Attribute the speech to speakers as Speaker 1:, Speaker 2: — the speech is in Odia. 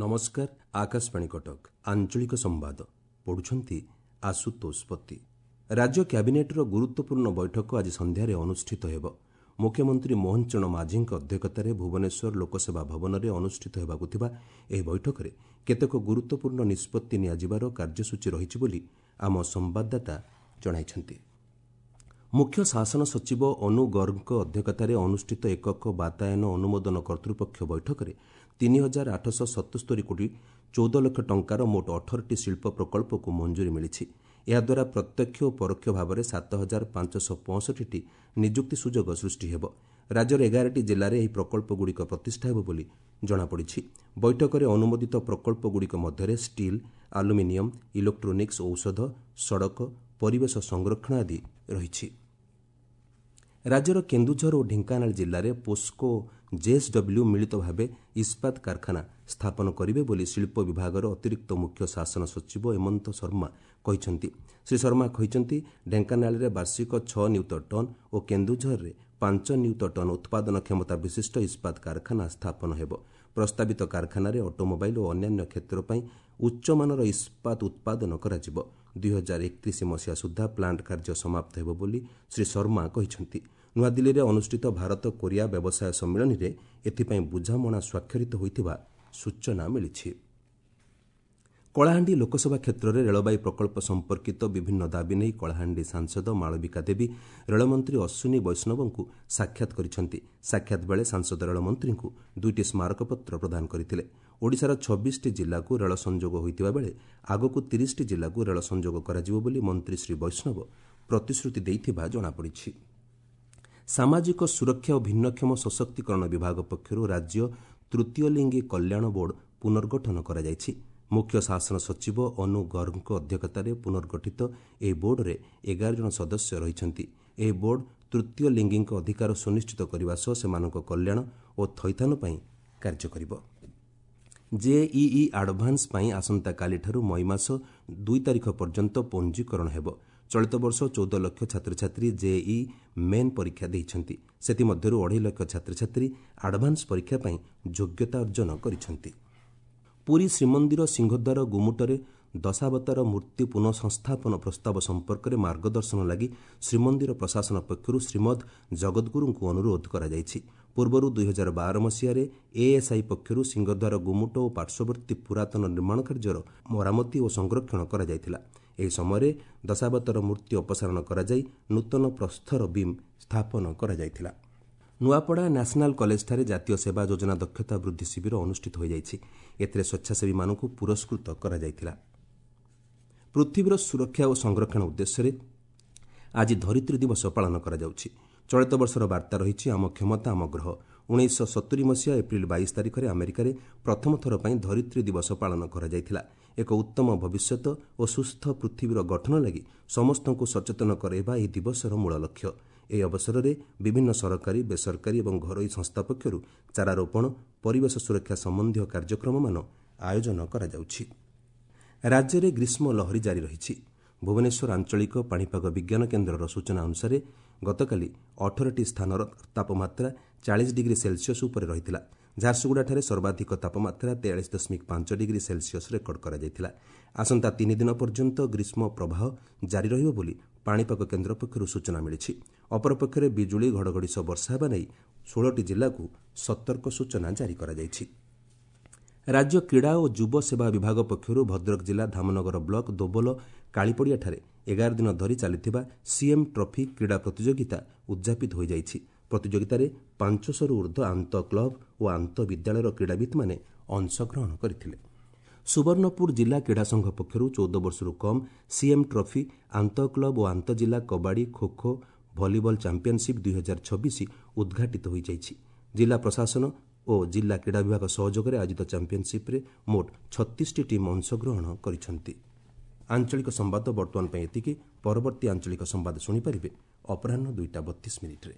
Speaker 1: ନମସ୍କାର, ଆକାଶବାଣୀ କଟକ, ଆଞ୍ଚଳିକ ସମ୍ବାଦ ପଢୁଛନ୍ତି ଆଶୁତୋଷ ପତି। ରାଜ୍ୟ କ୍ୟାବିନେଟ୍ର ଗୁରୁତ୍ୱପୂର୍ଣ୍ଣ ବୈଠକ ଆଜି ସନ୍ଧ୍ୟାରେ ଅନୁଷ୍ଠିତ ହେବ। ମୁଖ୍ୟମନ୍ତ୍ରୀ ମୋହନ ଚରଣ ମାଝୀଙ୍କ ଅଧ୍ୟକ୍ଷତାରେ ଭୁବନେଶ୍ୱର ଲୋକସେବା ଭବନରେ ଅନୁଷ୍ଠିତ ହେବାକୁ ଥିବା ଏହି ବୈଠକରେ କେତେକ ଗୁରୁତ୍ୱପୂର୍ଣ୍ଣ ନିଷ୍ପତ୍ତି ନିଆଯିବାର କାର୍ଯ୍ୟସୂଚୀ ରହିଛି ବୋଲି ଆମ ସମ୍ବାଦଦାତା ଜଣାଇଛନ୍ତି। ମୁଖ୍ୟ ଶାସନ ସଚିବ ଅନୁ ଗର୍ଗଙ୍କ ଅଧ୍ୟକ୍ଷତାରେ ଅନୁଷ୍ଠିତ ଏକକ ବାତାୟନ ଅନୁମୋଦନ କର୍ତ୍ତୃପକ୍ଷ ବୈଠକରେ 3877 କୋଟି 14 ଲକ୍ଷ ଟଙ୍କାର ମୋଟ 18ଟି ଶିଳ୍ପ ପ୍ରକଳ୍ପକୁ ମଞ୍ଜୁରୀ ମିଳିଛି। ଏହାଦ୍ୱାରା ପ୍ରତ୍ୟକ୍ଷ ଓ ପରୋକ୍ଷ ଭାବରେ 7565ଟି ନିଯୁକ୍ତି ସୁଯୋଗ ସୃଷ୍ଟି ହେବ। ରାଜ୍ୟର 11ଟି ଜିଲ୍ଲାରେ ଏହି ପ୍ରକଳ୍ପଗୁଡ଼ିକ ପ୍ରତିଷ୍ଠା ହେବ ବୋଲି ଜଣାପଡ଼ିଛି। ବୈଠକରେ ଅନୁମୋଦିତ ପ୍ରକଳ୍ପଗୁଡ଼ିକ ମଧ୍ୟରେ ଷ୍ଟିଲ୍, ଆଲୁମିନିୟମ୍, ଇଲେକ୍ଟ୍ରୋନିକ୍ସ, ଔଷଧ, ସଡ଼କ, ପରିବେଶ ସଂରକ୍ଷଣ ଆଦି ରହିଛି। ରାଜ୍ୟର କେନ୍ଦୁଝର ଓ ଢେଙ୍କାନାଳ ଜିଲ୍ଲାରେ ପୋସ୍କୋ ଓ ଜେଏସ୍ଡବ୍ଲ୍ୟୁ ମିଳିତ ଭାବେ ଇସ୍ପାତ କାରଖାନା ସ୍ଥାପନ କରିବେ ବୋଲି ଶିଳ୍ପ ବିଭାଗର ଅତିରିକ୍ତ ମୁଖ୍ୟ ଶାସନ ସଚିବ ହେମନ୍ତ ଶର୍ମା କହିଛନ୍ତି। ଶ୍ରୀ ଶର୍ମା କହିଛନ୍ତି, ଢେଙ୍କାନାଳରେ ବାର୍ଷିକ 6 ନିୟୁତ ଟନ୍ ଓ କେନ୍ଦୁଝରରେ 5 ନିୟୁତ ଟନ୍ ଉତ୍ପାଦନ କ୍ଷମତା ବିଶିଷ୍ଟ ଇସ୍ପାତ କାରଖାନା ସ୍ଥାପନ ହେବ। ପ୍ରସ୍ତାବିତ କାରଖାନାରେ ଅଟୋମୋବାଇଲ୍ ଓ ଅନ୍ୟାନ୍ୟ କ୍ଷେତ୍ର ପାଇଁ ଉଚ୍ଚମାନର ଇସ୍ପାତ ଉତ୍ପାଦନ କରାଯିବ। 2031 ମସିହା ସୁଦ୍ଧା ପ୍ଲାଣ୍ଟ କାର୍ଯ୍ୟ ସମାପ୍ତ ହେବ ବୋଲି ଶ୍ରୀ ଶର୍ମା କହିଛନ୍ତି। ନୂଆଦିଲ୍ଲୀରେ ଅନୁଷ୍ଠିତ ଭାରତ କୋରିଆ ବ୍ୟବସାୟ ସମ୍ମିଳନୀରେ ଏଥିପାଇଁ ବୁଝାମଣା ସ୍ୱାକ୍ଷରିତ ହୋଇଥିବା ସୂଚନା ମିଳିଛି। କଳାହାଣ୍ଡି ଲୋକସଭା କ୍ଷେତ୍ରରେ ରେଳବାଇ ପ୍ରକଳ୍ପ ସମ୍ପର୍କିତ ବିଭିନ୍ନ ଦାବି ନେଇ କଳାହାଣ୍ଡି ସାଂସଦ ମାଳବିକା ଦେବୀ ରେଳମନ୍ତ୍ରୀ ଅଶ୍ୱିନୀ ବୈଷ୍ଣବଙ୍କୁ ସାକ୍ଷାତ କରିଛନ୍ତି। ସାକ୍ଷାତ ବେଳେ ସାଂସଦ ରେଳମନ୍ତ୍ରୀଙ୍କୁ 2ଟି ସ୍ମାରକପତ୍ର ପ୍ରଦାନ କରିଥିଲେ। ଓଡ଼ିଶାର 26ଟି ଜିଲ୍ଲାକୁ ରେଳ ସଂଯୋଗ ହୋଇଥିବା ବେଳେ ଆଗକୁ 30ଟି ଜିଲ୍ଲାକୁ ରେଳ ସଂଯୋଗ କରାଯିବ ବୋଲି ମନ୍ତ୍ରୀ ଶ୍ରୀ ବୈଷ୍ଣବ ପ୍ରତିଶ୍ରୁତି ଦେଇଥିବା ଜଣାପଡ଼ିଛି। ସାମାଜିକ ସୁରକ୍ଷା ଓ ଭିନ୍ନକ୍ଷମ ସଶକ୍ତିକରଣ ବିଭାଗ ପକ୍ଷରୁ ରାଜ୍ୟ ତୃତୀୟ ଲିଙ୍ଗୀ କଲ୍ୟାଣ ବୋର୍ଡ ପୁନର୍ଗଠନ କରାଯାଇଛି। ମୁଖ୍ୟ ଶାସନ ସଚିବ ଅନୁ ଗର୍ଗଙ୍କ ଅଧ୍ୟକ୍ଷତାରେ ପୁନର୍ଗଠିତ ଏହି ବୋର୍ଡରେ 11 ଜଣ ସଦସ୍ୟ ରହିଛନ୍ତି। ଏହି ବୋର୍ଡ ତୃତୀୟ ଲିଙ୍ଗୀଙ୍କ ଅଧିକାର ସୁନିଶ୍ଚିତ କରିବା ସହ ସେମାନଙ୍କ କଲ୍ୟାଣ ଓ ଥଇଥାନ ପାଇଁ କାର୍ଯ୍ୟ କରିବ। ଜେଇଇ ଆଡଭାନ୍ସ ପାଇଁ ଆସନ୍ତାକାଲିଠାରୁ ମଇ ମାସ 2 ତାରିଖ ପର୍ଯ୍ୟନ୍ତ ପଞ୍ଜୀକରଣ ହେବ। ଚଳିତ ବର୍ଷ 14 ଲକ୍ଷ ଛାତ୍ରଛାତ୍ରୀ ଜେଇଇ ମେନ୍ ପରୀକ୍ଷା ଦେଇଛନ୍ତି। ସେଥିମଧ୍ୟରୁ 2.5 ଲକ୍ଷ ଛାତ୍ରଛାତ୍ରୀ ଆଡଭାନ୍ସ ପରୀକ୍ଷା ପାଇଁ ଯୋଗ୍ୟତା ଅର୍ଜନ କରିଛନ୍ତି। ପୁରୀ ଶ୍ରୀମନ୍ଦିର ସିଂହଦ୍ୱାର ଗୁମୁଟରେ ଦଶାବତାର ମୂର୍ତ୍ତି ପୁନଃସଂସ୍ଥାପନ ପ୍ରସ୍ତାବ ସମ୍ପର୍କରେ ମାର୍ଗଦର୍ଶନ ଲାଗି ଶ୍ରୀମନ୍ଦିର ପ୍ରଶାସନ ପକ୍ଷରୁ ଶ୍ରୀମଦ୍ ଜଗଦ୍ଗୁରୁଙ୍କୁ ଅନୁରୋଧ କରାଯାଇଛି। ପୂର୍ବରୁ 2012 ମସିହାରେ ଏଏସ୍ଆଇ ପକ୍ଷରୁ ସିଂହଦ୍ୱାର ଗୁମୁଟ ଓ ପାର୍ଶ୍ୱବର୍ତ୍ତୀ ପୁରାତନ ନିର୍ମାଣ କାର୍ଯ୍ୟର ମରାମତି ଓ ସଂରକ୍ଷଣ କରାଯାଇଥିଲା। ଏହି ସମୟରେ ଦଶାବତାର ମୂର୍ତ୍ତି ଅପସାରଣ କରାଯାଇ ନୂତନ ପ୍ରସ୍ତର ବିମ୍ ସ୍ଥାପନ କରାଯାଇଥିଲା। ନୂଆପଡ଼ା ନ୍ୟାସନାଲ୍ କଲେଜଠାରେ ଜାତୀୟ ସେବା ଯୋଜନା ଦକ୍ଷତା ବୃଦ୍ଧି ଶିବିର ଅନୁଷ୍ଠିତ ହୋଇଯାଇଛି। ଏଥିରେ ସ୍ୱେଚ୍ଛାସେବୀମାନଙ୍କୁ ପୁରସ୍କୃତ କରାଯାଇଥିଲା। ପୃଥିବୀର ସୁରକ୍ଷା ଓ ସଂରକ୍ଷଣ ଉଦ୍ଦେଶ୍ୟରେ ଆଜି ଧରିତ୍ରୀ ଦିବସ ପାଳନ କରାଯାଉଛି। ଚଳିତ ବର୍ଷର ବାର୍ତ୍ତା ରହିଛି, ଆମ କ୍ଷମତା ଆମ ଗ୍ରହ। 1970 ମସିହା ଏପ୍ରିଲ 22 ତାରିଖରେ ଆମେରିକାରେ ପ୍ରଥମ ଥର ପାଇଁ ଧରିତ୍ରୀ ଦିବସ ପାଳନ କରାଯାଇଥିଲା। ଏକ ଉତ୍ତମ ଭବିଷ୍ୟତ ଓ ସୁସ୍ଥ ପୃଥିବୀର ଗଠନ ଲାଗି ସମସ୍ତଙ୍କୁ ସଚେତନ କରାଇବା ଏହି ଦିବସର ମୂଳ ଲକ୍ଷ୍ୟ। ଏହି ଅବସରରେ ବିଭିନ୍ନ ସରକାରୀ, ବେସରକାରୀ ଏବଂ ଘରୋଇ ସଂସ୍ଥା ପକ୍ଷରୁ ଚାରାରୋପଣ, ପରିବେଶ ସୁରକ୍ଷା ସମ୍ବନ୍ଧୀୟ କାର୍ଯ୍ୟକ୍ରମମାନ ଆୟୋଜନ କରାଯାଉଛି। ରାଜ୍ୟରେ ଗ୍ରୀଷ୍ମ ଲହରୀ ଜାରି ରହିଛି। ଭୁବନେଶ୍ୱର ଆଞ୍ଚଳିକ ପାଣିପାଗ ବିଜ୍ଞାନ କେନ୍ଦ୍ରର ସୂଚନା ଅନୁସାରେ ଗତକାଲି 18ଟି ସ୍ଥାନର ତାପମାତ୍ରା 40 ଡିଗ୍ରୀ ସେଲସିୟସ୍ ଉପରେ ରହିଥିଲା। ଝାରସୁଗୁଡ଼ାଠାରେ ସର୍ବାଧିକ ତାପମାତ୍ରା 43.5 ଡିଗ୍ରୀ ସେଲସିୟସ୍ ରେକର୍ଡ କରାଯାଇଥିଲା। ଆସନ୍ତା 3 ଦିନ ପର୍ଯ୍ୟନ୍ତ ଗ୍ରୀଷ୍ମ ପ୍ରବାହ ଜାରି ରହିବ ବୋଲି ପାଣିପାଗ କେନ୍ଦ୍ର ପକ୍ଷରୁ ସୂଚନା ମିଳିଛି। ଅପରପକ୍ଷରେ ବିଜୁଳି, ଘଡ଼ଘଡ଼ି ସହ ବର୍ଷା ହେବା ନେଇ 16ଟି ଜିଲ୍ଲାକୁ ସତର୍କ ସୂଚନା ଜାରି କରାଯାଇଛି। ରାଜ୍ୟ କ୍ରୀଡ଼ା ଓ ଯୁବ ସେବା ବିଭାଗ ପକ୍ଷରୁ ଭଦ୍ରକ ଜିଲ୍ଲା ଧାମନଗର ବ୍ଲକ ଦୋବଲ କାଳିପଡ଼ିଆଠାରେ 11 ଦିନ ଧରି ଚାଲିଥିବା ସିଏମ୍ ଟ୍ରଫି କ୍ରୀଡ଼ା ପ୍ରତିଯୋଗିତା ଉଦ୍ଯାପିତ ହୋଇଯାଇଛି। ପ୍ରତିଯୋଗିତାରେ 500ରୁ ଉର୍ଦ୍ଧ୍ୱ ଆନ୍ତଃ କ୍ଲବ ଓ ଆନ୍ତଃ ବିଦ୍ୟାଳୟର କ୍ରୀଡ଼ାବିତ୍ମାନେ ଅଂଶଗ୍ରହଣ କରିଥିଲେ। ସୁବର୍ଣ୍ଣପୁର ଜିଲ୍ଲା କ୍ରୀଡ଼ା ସଂଘ ପକ୍ଷରୁ 14 ବର୍ଷରୁ କମ୍ ସିଏମ୍ ଟ୍ରଫି ଆନ୍ତଃ କ୍ଲବ ଓ ଆନ୍ତଃ ଜିଲ୍ଲା କବାଡ଼ି, ଖୋଖୋ, ଭଲିବଲ ଚାମ୍ପିୟନସିପ୍ 2026 ଉଦ୍ଘାଟିତ ହୋଇଯାଇଛି। ଜିଲ୍ଲା ପ୍ରଶାସନ ଓ ଜିଲ୍ଲା କ୍ରୀଡ଼ା ବିଭାଗ ସହଯୋଗରେ ଆୟୋଜିତ ଚାମ୍ପିୟନସିପ୍ରେ ମୋଟ 36ଟି ଟିମ୍ ଅଂଶଗ୍ରହଣ କରିଛନ୍ତି। ଆଞ୍ଚଳିକ ସମ୍ବାଦ ବର୍ତ୍ତମାନ ପାଇଁ ଏତିକି। ପରବର୍ତ୍ତୀ ଆଞ୍ଚଳିକ ସମ୍ବାଦ ଶୁଣିପାରିବେ ଅପରାହ୍ନ 2ଟା 32 ମିନିଟ୍ରେ।